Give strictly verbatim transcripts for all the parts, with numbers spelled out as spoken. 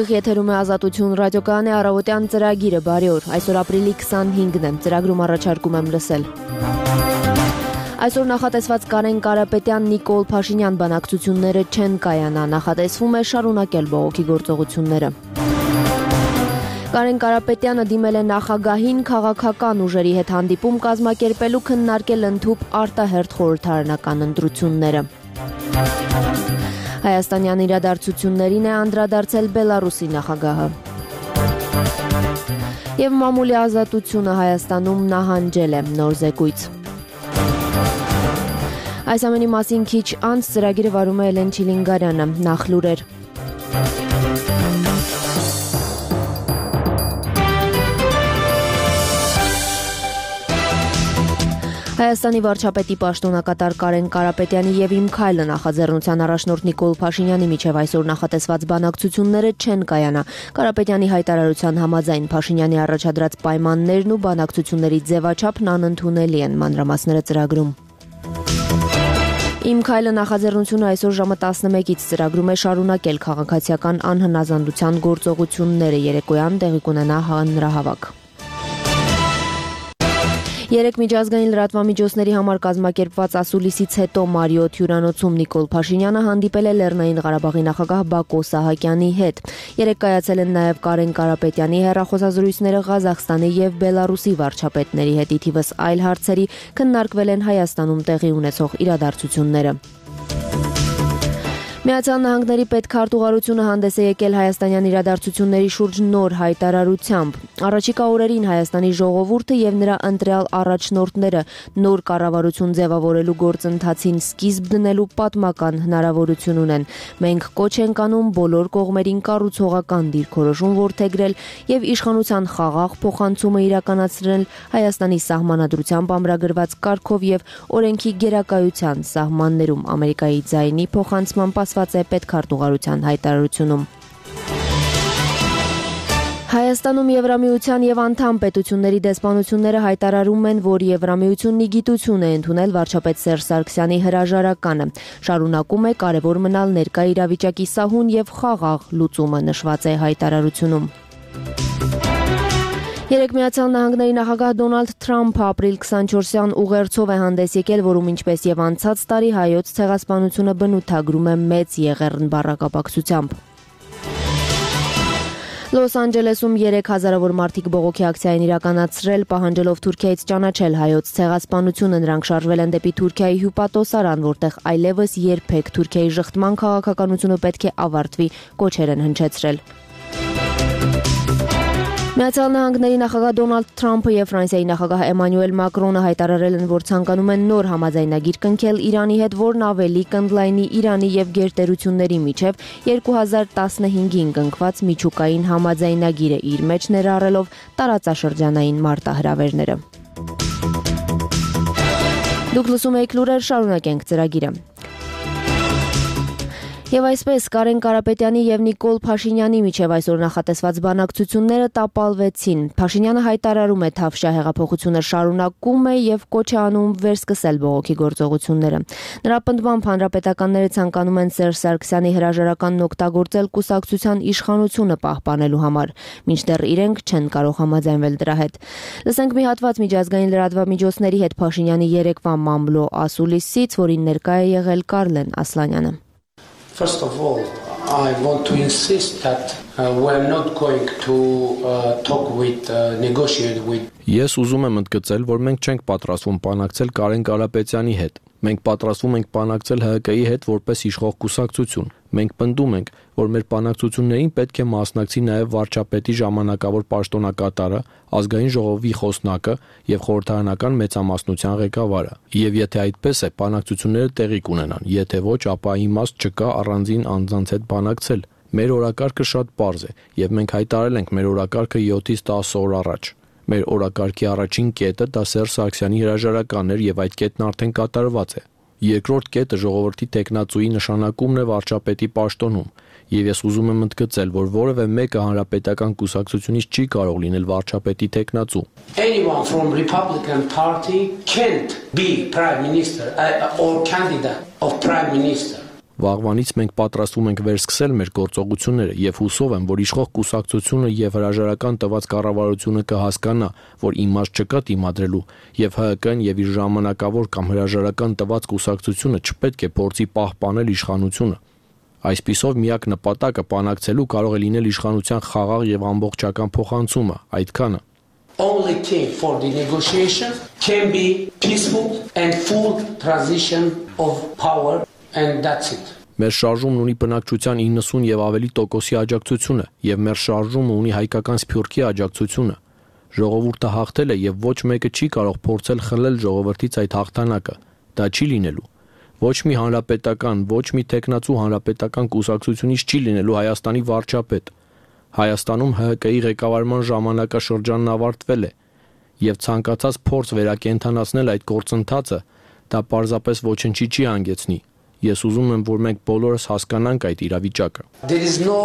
Ուղիղ եթերում է Ազատություն ռադիոկայանի առավոտյան ծրագիրը բարի օր։ Այսօր ապրիլի քսանհինգն է, ծրագրում առաջարկում եմ լսել։ Այսօր նախատեսված Կարեն Կարապետյան Նիկոլ Փաշինյան բանակցությունները չեն կայանա, նախատեսվում է շարունակել բողոքի գործողությունները։ Կարեն Կարապետյանը դիմել է նախագահին քաղաքական ուժերի հետ հանդիպում կազմակերպելու քննարկել ընդհուպ արտահերթ խորհրդարանական ընտրությունները։ Հայաստանյան իրադարձություններին է անդրադարձել Բելարուսի նախագահը։ Եվ մամուլի ազատությունը Հայաստանում նահանջել է նոր զեկույց։ Այս ամենի մասին քիչ անց ծրագիրը վարում է Էլեն Չիլինգարյանը, նախ լուրեր։ Հայաստանի վարչապետի պաշտոնակատար Կարեն Կարապետյանի եւ Իմ քայլը նախաձեռնության առաջնորդ Նիկոլ Փաշինյանի միջև այսօր նախատեսված բանակցությունները չեն կայանա։ Կարապետյանի հայտարարության համաձայն Փաշինյանի առաջադրած պայմաններն ու բանակցությունների ձևաչափն անընդունելի են, մանրամասները ծրագրում։ Իմ քայլը նախաձեռնությունը այսօր ժամը տասնմեկից ծրագրում է շարունակել քաղաքացիական անհնազանդության գործողությունները, երեկոյան տեղի կունենա հանրահավաք։ Երեք միջազգային լրատվամիջոցների համար կազմակերպված ասուլիսից հետո Մարիոթ հյուրանոցում Նիկոլ Փաշինյանը հանդիպել է Լեռնային Ղարաբաղի նախագահ Բակո Սահակյանի հետ։ Երեք կայացել են նաև Կարեն Կարապետյանի հեռախոսազրույցները Ղազախստանի եւ Բելարուսի վարչապետների հետ, ի թիվս այլ հարցերի քննարկվել են Հայաստանում տեղի ունեցող իրադարձությունները։ Միացյալ Նահանգների պետքարտուղարությունը հանդես է եկել հայաստանյան իրադարձությունների շուրջ նոր հայտարարությամբ։ Առաջիկա օրերին Հայաստանի ժողովուրդը եւ նրա ընտրյալ առաջնորդները նոր կառավարություն ձևավորելու գործընթացին սկիզբ դնելու պատմական հնարավորություն ունեն։ Մենք կոչ ենք անում բոլոր կողմերին կառուցողական դիրքորոշում որդեգրել եւ իշխանության խաղաղ փոխանցումը իրականացնել Հայաստանի սահմանադրությամբ ամրագրված կարգով եւ օրենքի գերակայության սահմաններում, Ամերիկայի ձայնի փոխանցման է պետքարտուղարության հայտարարությունում։ Հայաստանում Եվրամիության եւ անդամ պետությունների դեսպանությունները հայտարարում են, որ Եվրամիությունն ի գիտություն է ընդունել վարչապետ Սերժ Սարգսյանի հրաժարականը։ Շարունակում է կարևոր մնալ ներկա իրավիճակի սահուն եւ խաղաղ լուծումը, նշված է հայտարարությունում։ Երեք Միացյալ Նահանգների նախագահ Դոնալդ Թրամփը ապրիլ քսանչորսյան ուղերձով է հանդես եկել, որում ինչպես եւ անցած տարի հայոց ցեղասպանությունը բնութագրում է մեծ եղեռն բառակապակցությամբ։ Լոս Անջելեսում երեք հազարավոր մարդիկ բողոքի ակցիա են իրականացրել, պահանջելով Թուրքիայից ճանաչել հայոց ցեղասպանությունը։ Նրանք շարժվել են դեպի Թուրքիայի հյուպատոսարան, որտեղ այլևս երբեք Թուրքիայի ժխտման քաղաքականությունը պետք է ավարտվի, կոչեր են հնչեցրել։ Միացյալ Նահանգների նախագահ Դոնալդ Թրամփը եւ Ֆրանսիայի նախագահ Էմանուել Մակրոնը հայտարարել են, որ ցանկանում են նոր համաձայնագիր կնքել Իրանի հետ, որն ավելի կընդլայնի Իրանի եւ գերտերությունների միջև երկու հազար տասնհինգին կնքված միջուկային համաձայնագիրը, իր մեջ ներառելով տարածաշրջանային մարտահրավերները։ Դուք լսում եք լուրեր, շարունակենք ծրագիրը։ Եվ այսպես Կարեն Կարապետյանի եւ Նիկոլ Փաշինյանի միջև այսօր նախատեսված բանակցությունները տապալվեցին։ Փաշինյանը հայտարարում է Թավշյա հեղափոխությունը շարունակում է եւ կոչ է անում վերսկսել բողոքի գործողությունները։ Նրա պնդմամբ հանրապետականները ցանկանում են Սերժ Սարգսյանի հրաժարականն օգտագործել կուսակցության իշխանությունը պահպանելու համար, մինչդեռ իրենք չեն կարող համաձայնվել դրա հետ։ Լսենք մի հատված միջազգային լրատվամիջոցների հետ Փաշինյանի երեկվա մամլո ասուլիսից, որին ներկա է եղել Կարլեն Ասլանյանը։ First of all, I want to insist that uh, we're not going to uh, talk with, uh, negotiate with. Ես ուզում եմ ընդգծել, որ մենք չենք պատրաստվում բանակցել Կարեն Կարապետյանի հետ։ Մենք պատրաստվում ենք բանակցել Հ Կ ի հետ որպես իշխող կուսակցություն։ Մենք պնդում ենք, որ մեր բանակցություններին պետք է մասնակցի նաև վարչապետի ժամանակավոր պաշտոնակատարը, ազգային ժողովի խոսնակը եւ խորհրդարանական մեծամասնության ղեկավարը։ Եվ եթե այդպես է, բանակցությունները տեղի կունենան, եթե ոչ, ապա իմաստ չկա առանձին անձանց հետ բանակցել։ Մեր օրակարգը շատ պարզ է, եւ մենք հայտարարել ենք մեր օրակարգը յոթից տասը օր առաջ։ Մեր օրակարգի առաջին կետը դա Սերժ Սարգսյանի հրաժարականն էր եւ այդ կետն արդեն կատարված է։ Երկրորդ կետը ժողովրդի տեխնացուի նշանակումն է վարչապետի պաշտոնում, եւ ես ուզում եմ ընդգծել, որ որևէ մեկը հանրապետական կուսակցությունից չի կարող լինել վարչապետի տեխնացու։ Anyone from Republican Party can't be prime minister uh, or candidate of prime minister. Վաղվանից մենք պատրաստվում ենք վերսկսել մեր գործողությունները եւ հուսով եմ, որ իշխող կուսակցությունը եւ հրաժարական տված կառավարությունը կհասկանա, որ իմաստ չկա դիմադրելու եւ Հ Հ Կն եւ իր ժամանակավոր կամ հրաժարական տված կուսակցությունը չպետք է փորձի պահպանել իշխանությունը։ Այսպիսով միակ նպատակը բանակցելու կարող է լինել իշխանության խաղաղ եւ ամբողջական փոխանցումը, այդքանը։ Only key for the negotiation can be peaceful and full transition of power. And that's it. Մեր շարժումն ունի բնակչության իննսուն եւ ավելի տոկոսի աջակցությունը եւ մեր շարժումը ունի հայկական սփյուռքի աջակցությունը։ Ժողովուրդը հաղթել է եւ ոչ մեկը չի կարող փորձել խլել ժողովրդից այդ հաղթանակը։ Դա չի լինելու։ Ոչ մի հանրապետական, ոչ մի տեխնացու հանրապետական կուսակցությունից չի լինելու Հայաստանի վարչապետ։ Հայաստանում Հ Հ Կի ղեկավարման ժամանակաշրջանն ավարտվել է եւ ցանկացած փորձ վերակենդանացնել այդ գործընթացը դա պարզապես ոչնչի չի հանգեցնի։ Ես ուզում եմ, որ մենք բոլորս հասկանանք այդ իրավիճակը։ There is no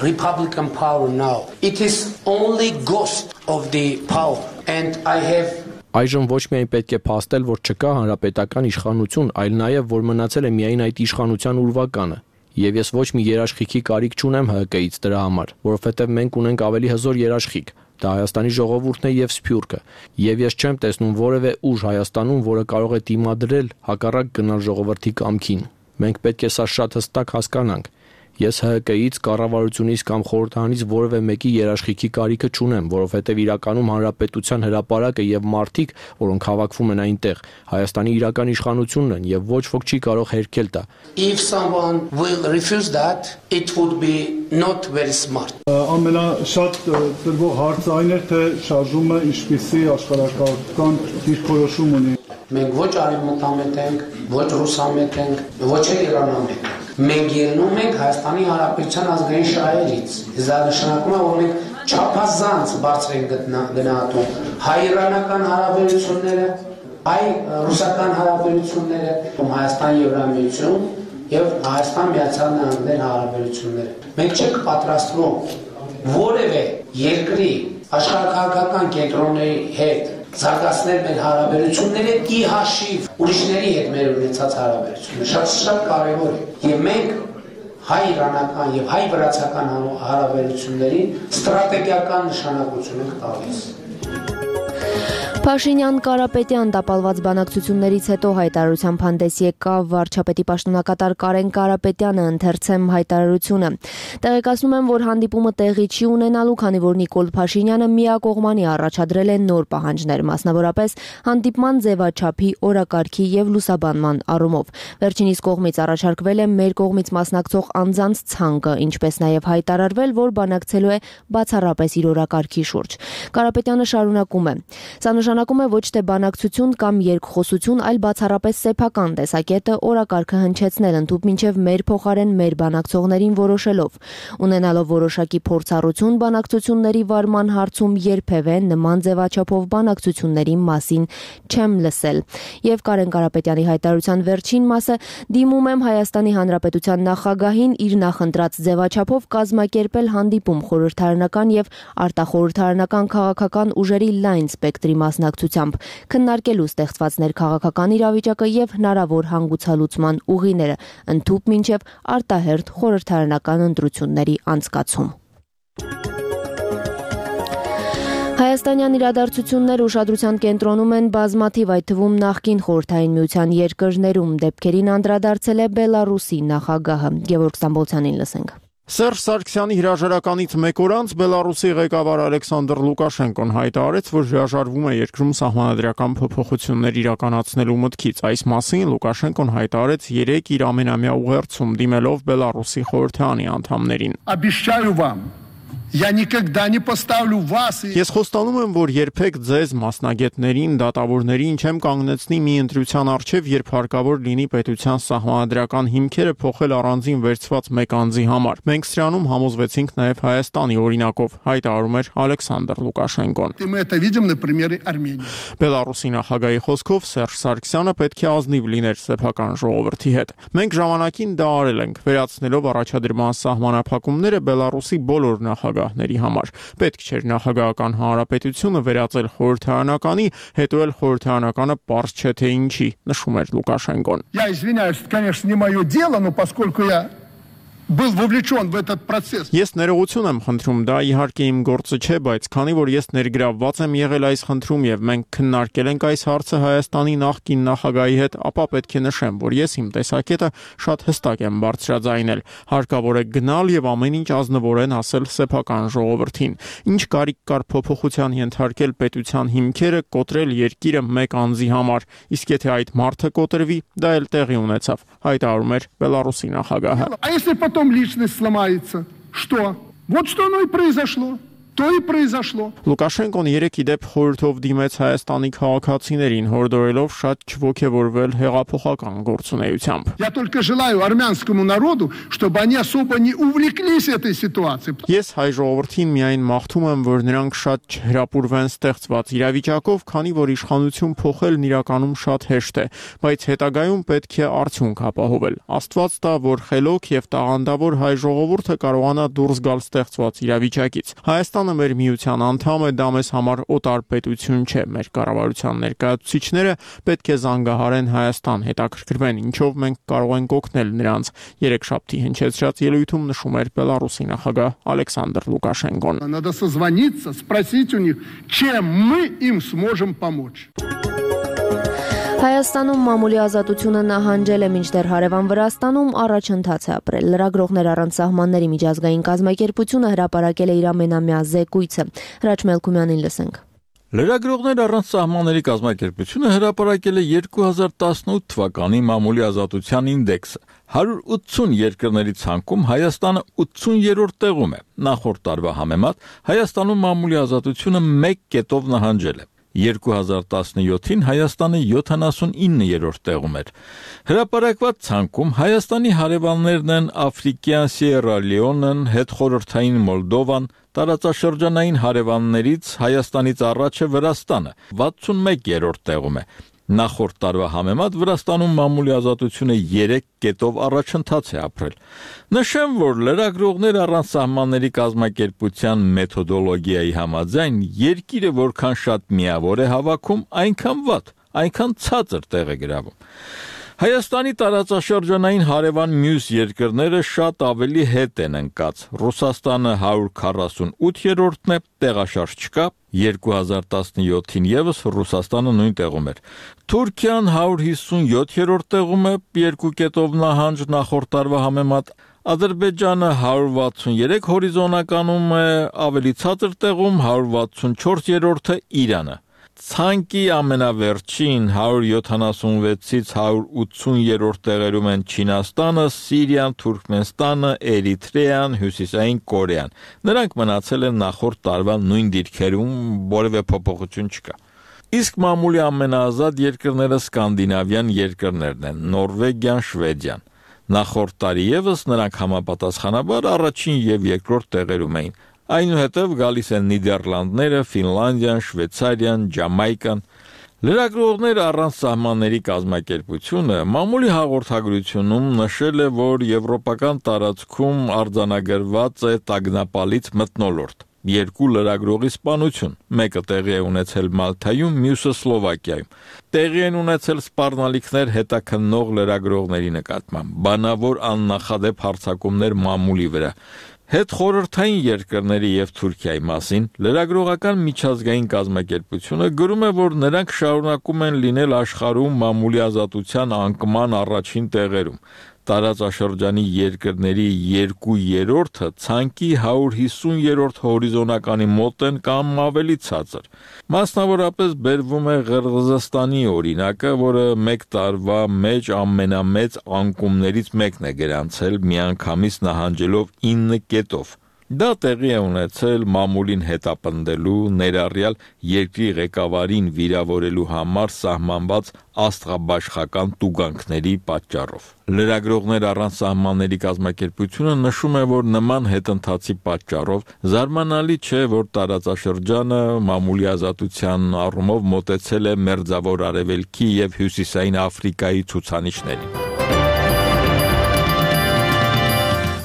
Republican power now. It is only ghost of the power and I have Այժմ ոչ միայն պետք է փաստել, որ չկա հանրապետական իշխանություն, այլ նաև որ մնացել է միայն այդ իշխանության ուրվականը։ Եվ ես ոչ մի երաշխիքի կարիք չունեմ Հ Հ Կից դրա համար, որովհետև մենք ունենք ավելի հզոր երաշխիք։ Դա Հայաստանի ժողովուրդն է եւ Սփյուռքը, եւ ես չեմ տեսնում որևէ ուժ Հայաստանում, որը կարող է դիմադրել հակառակ գնալ ժողովրդի կամքին։ Մենք պետք է սա շատ հստակ հասկանանք։ Ես Հ Հ Կից, կառավարությունից կամ խորհրդարանից որևէ մեկի երաշխիքի կարիքը չունեմ, որովհետև իրականում հանրապետության հրապարակը եւ մարդիկ, որոնք հավաքվում են այնտեղ, Հայաստանի իրական իշխանությունն են եւ ոչ ոք չի կարող հերքել դա։ If someone will refuse that, it would be not very smart. Ամենաշատ դրվող հարցը այն էր, թե շարժումը ինչպիսի աշխարհակաղակական դիրքորոշում ունի։ Մենք ոչ արևմտամետ ենք, ոչ ռուսամետ ենք, ոչ իրանամետ։ Մենք ելնում ենք Հայաստանի Հանրապետության ազգային շահերից։ Դա նշանակում է, որ մենք չափազանց բարձր ենք գնահատում հայ-իրանական հարաբերությունները, հայ-ռուսական հարաբերությունները, Հայաստան-Եվրամիություն եւ Հայաստան-Միացյալ Նահանգներ հարաբերությունները։ Մենք չենք պատրաստվում որևէ երկրի աշխարհակաղակական կենտրոնների հետ զարգացնել մեր հարաբերությունները ի հաշիվ ուրիշների հետ մեր ունեցած հարաբերությունները շատ շատ կարևոր է եւ մենք հայ-իրանական եւ հայ-վրացական հարաբերություններին ստրատեգիական նշանակություն ենք տալիս։ Փաշինյան-Կարապետյան տապալված բանակցություններից հետո հայտարարությամբ հանդես եկավ վարչապետի պաշտոնակատար Կարեն Կարապետյանը, ընթերցեմ հայտարարությունը։ Տեղեկացնում եմ, որ հանդիպումը տեղի չի ունենալու, քանի որ Նիկոլ Փաշինյանը միակողմանի առաջադրել է նոր պահանջներ, մասնավորապես հանդիպման ձևաչափի, օրակարգի եւ լուսաբանման առումով։ Վերջինիս կողմից առաջարկվել է մեր կողմից մասնակցող անձանց ցանկը, ինչպես նաեւ հայտարարվել, որ բանակցելու է բացառապես իր օրակարգի շուրջ։ Կարապետյանը շարունակում է. Սա նշանակում է ոչ թե բանակցություն կամ երկխոսություն, այլ բացառապես սեփական տեսակետը օրակարգը հնչեցնել ընդհուպ մինչև մեր փոխարեն մեր բանակցողներին որոշելով։ Ունենալով որոշակի փորձառություն բանակցությունների վարման հարցում երբևէ նման ձևաչափով բանակցությունների մասին չեմ լսել։ Եվ Կարեն Կարապետյանի հայտարարության վերջին մասը դիմում եմ Հայաստանի Հանրապետության նախագահին իր նախընտրած ձևաչափով կազմակերպել հանդիպում խորհրդարանական եւ արտախորհրդարանական քաղաքական ուժերի լայն սպեկտրի մասնակցությամբ, քննարկելու ստեղծված ներքաղաքական իրավիճակը եւ հնարավոր հանգուցալուծման ուղիները, ընդհուպ մինչեւ արտահերթ խորհրդարանական ընտրությունների անցկացում։ Հայաստանյան իրադարձություններ ուշադրության կենտրոնում են բազմաթիվ, այդ թվում նախկին Խորհրդային Միության երկրներում, դեպքերին անդրադարձել է Բելարուսի նախագահը։ Գևորգ Ստամբոլցյանին լսենք։ Սերժ Սարգսյանի հրաժարականից մեկ օր անց Բելարուսի ղեկավար Ալեքսանդր Լուկաշենկոն հայտարարեց, որ հրաժարվում է երկրում սահմանադրական փոփոխություններ իրականացնելու մտքից։ Այս մասին Լուկաշենկոն հայտարարեց երեկ իր ամենամյա ուղերձում, դիմելով Բելարուսի խորհրդարանի անդամներին։ Обещаю вам, я никогда не поставлю вас. Ես խոստանում եմ, որ երբեք ձեզ մասնագետներին, դատավորներին չեմ կանգնեցնի մի ընտրության առջև, երբ հարկավոր լինի պետության սահմանադրական հիմքերը փոխել առանձին վերցված մեկ անձի համար։ Մենք սրանում համոզվեցինք նաև Հայաստանի օրինակով, հայտարարում էր Ալեքսանդր Լուկաշենկոն։ Мы это видим на примере Армении. Բելարուսի նախագահի խոսքով Սերժ Սարգսյանը պետք է ազնիվ լիներ սեփական ժողովրդի հետ։ Մենք ժամանակին դա արել ենք, վերացնելով առաջադրման սահմանափակումները Բելարուսի բոլոր նախագահ նախագահների համար։ Պետք չէր նախագահական հանրապետությունը վերածել խորհրդարանականի, հետո էլ խորհրդարանականը պարզ չէ թե ինչի, նշում էր Լուկաշենկոն։ Я извиняюсь, конечно, не мое дело, но поскольку я был вовлечен в этот процесс. Ես ներողություն եմ խնդրում, դա իհարկե իմ գործը չէ, բայց քանի որ ես ներգրավված եմ եղել այս խնդրում եւ մենք քննարկել ենք այս հարցը Հայաստանի նախկին նախագահի հետ, ապա պետք է նշեմ, որ ես իմ տեսակետը շատ հստակ եմ բարձրաձայնել։ Հարկավոր է գնալ եւ ամեն ինչ ազնվորեն ասել սեփական ժողովրդին։ Ինչ կարիք կար փոփոխության ենթարկել պետության հիմքերը, կոտրել երկիրը մեկ անձի համար։ Իսկ եթե այդ մարդը կոտրվի, դա էլ տեղի ունեցավ, հայտարարում էր Բելարուսի նախագահը։ А если потом личность сломается, что? Вот что оно и произошло. То и произошло. Լուկաշենկոն երեք իդեպ խորհրդով դիմեց Հայաստանի քաղաքացիներին, հորդորելով շատ չոգևորվել հեղափոխական գործունեությամբ։ Я только желаю армянскому народу, чтобы они особо не увлеклись этой ситуацией. Ես հայ ժողովրդին միայն մաղթում եմ, որ նրանք շատ չհրապուրվեն ստեղծված իրավիճակով, քանի որ իշխանություն փոխելն իրականում շատ հեշտ է, բայց հետագայում պետք է արդյունք ապահովել։ Աստված տա, որ խելոք եւ տաղանդավոր հայ ժողովուրդը կարողանա դուրս գալ ստեղծված իրավիճակից։ Հայաստան մեր միության անդամ է, դա մեզ համար օտար պետություն չէ, մեր կառավարության ներկայացուցիչները պետք է զանգահարեն Հայաստան, հետաքրքրվեն, ինչով մենք կարող ենք օգնել նրանց։ Երեքշաբթի հնչեցրած ելույթում նշում էր Բելարուսի նախագահ Ալեքսանդր Լուկաշենկոն։ Надо созвониться, спросить у них, чем мы им сможем помочь. Հայաստանում մամուլի ազատությունը նահանջել է, մինչդեռ հարևան Վրաստանում առաջընթաց է ապրել։ Լրագրողներ առանց սահմանների միջազգային կազմակերպությունը հրապարակել է իր ամենամյա զեկույցը։ Հրաչ Մելքումյանին լսենք։ Լրագրողներ առանց սահմանների կազմակերպությունը հրապարակել է երկու հազար տասնութ թվականի մամուլի ազատության ինդեքսը։ հարյուր ութսուն երկրների ցանկում Հայաստանը ութսուներորդ տեղում է։ Նախորդ տարվա համեմատ Հայաստանում մամուլի ազատությունը մեկ կետով նահանջել է։ երկու հազար տասնյոթին Հայաստանը յոթանասունիններորդ տեղում էր։ Հրապարակված ցանկում Հայաստանի հարևաններն են Աֆրիկյան Սիերա Լեոնեն, հետխորհրդային Մոլդովան, տարածաշրջանային հարևաններից Հայաստանից առաջը Վրաստանը վաթսունմեկերորդ տեղում է։ Նախորդ տարվա համեմատ Վրաստանում մամուլի ազատությունը երեք կետով առաջընթաց է ապրել։ Նշեմ, որ լրագրողներ առանց սահմանների կազմակերպության մեթոդոլոգիայի համաձայն երկիրը որքան շատ միավոր է հավաքում, այնքան վատ, այնքան ցածր տեղ է գրավում։ Հայաստանի տարածաշրջանային հարևան մյուս երկրները շատ ավելի հետ են ընկած։ Ռուսաստանը հարյուր քառասունութերորդն է, տեղաշարժ չկա, երկու հազար տասնյոթին եւս Ռուսաստանը նույն տեղում էր։ Թուրքիան հարյուր հիսունյոթերորդ տեղում է, երկու կետով նահանջ նախորդ տարվա համեմատ։ Ադրբեջանը հարյուր վաթսուներեք հորիզոնականում է, ավելի ցածր տեղում հարյուր վաթսունչորսերորդը Իրանը։ Ցանկի ամենավերջին հարյուր յոթանասունվեցից հարյուր ութսուներորդ տեղերում են Չինաստանը, Սիրիան, Թուրքմենստանը, Էրիթրեան, Հյուսիսային Կորեան։ Նրանք մնացել են նախորդ տարվա նույն դիրքերում, որևէ փոփոխություն չկա։ Իսկ մամուլի ամենաազատ երկրները սկանդինավյան երկրներն են՝ Նորվեգիան, Շվեդիան։ Նախորդ տարի եւս նրանք համապատասխանաբար առաջին եւ երկրորդ տեղերում էին։ Այնուհետև գալիս են Նիդերլանդները, Ֆինլանդիան, Շվեյցարիան, Ջամայկան։ Լրագրողներ առանց սահմանների կազմակերպությունը մամուլի հաղորդագրությունում նշել է, որ եվրոպական տարածքում արձանագրված է տագնապալից մթնոլորտ։ Երկու լրագրողի սպանություն, մեկը տեղի է ունեցել Մալթայում, մյուսը Սլովակիայում։ Տեղի են ունեցել սպառնալիքներ հետաքննող լրագրողների նկատմամբ, բանավոր աննախադեպ հարձակումներ մամուլի վրա։ Հետխորհրդային երկրների եւ Թուրքիայի մասին լրագրողական միջազգային կազմակերպությունը գրում է, որ նրանք շարունակում են լինել աշխարհում մամուլի ազատության անկման առաջին տեղերում։ Տարածաշրջանի երկրների երկու երրորդը ցանկի հարյուր հիսուներորդ հորիզոնականի մոտ են կամ ավելի ցածր։ Մասնավորապես բերվում է Ղրղզստանի օրինակը, որը մեկ տարվա մեջ ամենամեծ անկումներից մեկն է գրանցել միանգամից նահանջելով ինը կետով։ Դա տեղի է ունեցել մամուլին հետապնդելու, ներառյալ երկրի ղեկավարին վիրավորելու համար սահմանված աստղաբաշխական տուգանքների պատճառով։ Լրագրողներ առանց սահմանների կազմակերպությունը նշում է, որ նման հետընթացի պատճառով զարմանալի չէ, որ տարածաշրջանը մամուլի ազատության առումով մոտեցել է Մերձավոր Արևելքի եւ Հյուսիսային Աֆրիկայի ցուցանիշներին։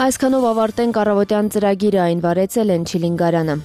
Այսքանով ավարտենք առավոտյան ծրագիրը, այն վարեցել են Չիլինգարյանը։